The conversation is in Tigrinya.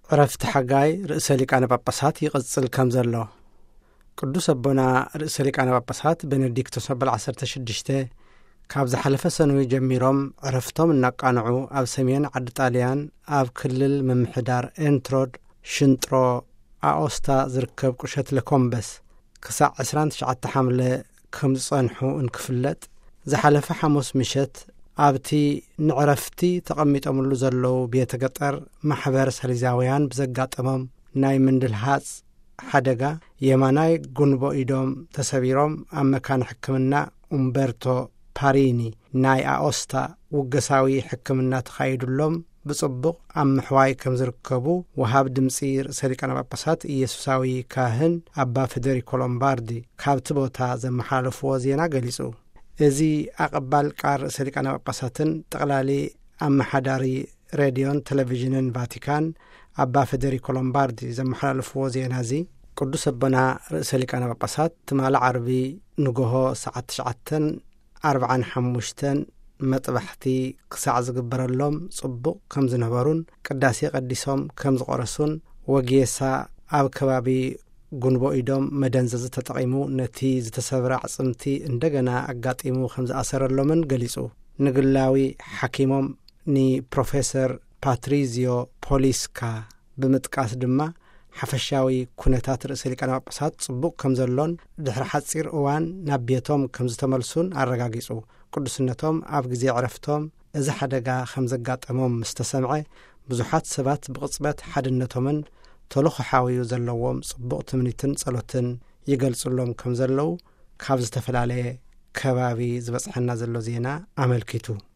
ዕረፍቲ ሓጋይ ርእሰ ሊቃነ ጳጳሳት ይቕጽል ከም ዘሎ። ቅዱስ ኣቦና ርእሰ ሊቃነ ጳጳሳት ቤኔዲክቶስ ኣበል ዓሰርተ ሽዱሽተ ካብ ዝሓለፈ ሰኑይ ጀሚሮም ዕረፍቶም እናቃንዑ ኣብ ሰሜን ዓዲ ጣልያን ኣብ ክልል ምምሕዳር ኤንትሮድ ሽንጥሮ ኣኦስታ ዝርከብ ቁሸት ለኮምበስ ክሳዕ ዕስራን ትሽዓተ ሓምለ ከም ዝጸንሑ እንክፍለጥ፣ ዝሓለፈ ሓሙስ ምሸት ኣብቲ ንዕረፍቲ ተቐሚጦምሉ ዘለዉ ቤተ ገጠር ማሕበር ሳሊዛውያን ብዘጋጠሞም ናይ ምንድልሃጽ ሓደጋ የማናይ ጉንቦ ኢዶም ተሰቢሮም ኣብ መካነ ሕክምና ኡምበርቶ ፓሪኒ ናይ ኣኦስታ ውገሳዊ ሕክምና ተኻይዱሎም ብጽቡቕ ኣብ ምሕዋይ ከም ዝርከቡ ወሃብ ድምጺ ርእሰ ሊቃነ ጳጳሳት ኢየሱሳዊ ካህን ኣባ ፌደሪኮ ሎምባርዲ ካብቲ ቦታ ዘመሓላለፍዎ ዜና ገሊጹ። እዚ ኣቐባል ቃል ርእሰ ሊቃነ ጳጳሳትን ጠቕላሊ ኣመሓዳሪ ሬድዮን ቴሌቪዥንን ቫቲካን ኣባ ፌደሪኮ ሎምባርዲ ዘመሓላለፍዎ ዜና እዚ፣ ቅዱስ ኣቦና ርእሰ ሊቃነ ጳጳሳት ትማሊ ዓርቢ ንጎሆ ሰዓት ትሽዓተን ኣርብዓን ሓሙሽተን መጥባሕቲ ክሳዕ ዝግበረሎም ጽቡቕ ከም ዝነበሩን ቅዳሴ ቀዲሶም ከም ዝቆረሱን ወጌሳ ኣብ ከባቢ ጉንቦ ኢዶም መደንዘዚ ተጠቒሙ ነቲ ዝተሰብረ ኣዕጽምቲ እንደገና ኣጋጢሙ ከም ዝኣሰረሎምን ገሊጹ። ንግላዊ ሓኪሞም ንፕሮፌሰር ፓትሪዚዮ ፖሊስካ ብምጥቃስ ድማ ሓፈሻዊ ኩነታት ርእሰ ሊቃነ ጳጳሳት ጽቡቕ ከም ዘሎን ድሕሪ ሓጺር እዋን ናብ ቤቶም ከም ዝተመልሱን ኣረጋጊጹ። ቅዱስነቶም ኣብ ግዜ ዕረፍቶም እዚ ሓደጋ ከም ዘጋጠሞም ምስ ተሰምዐ፣ ብዙሓት ሰባት ብቕጽበት ሓድነቶምን ተልእኾ ሓዊኡ ዘለዎም ጽቡቕ ትምኒትን ጸሎትን ይገልጹሎም ከም ዘለዉ ካብ ዝተፈላለየ ከባቢ ዝበጽሐና ዘሎ ዜና ኣመልኪቱ።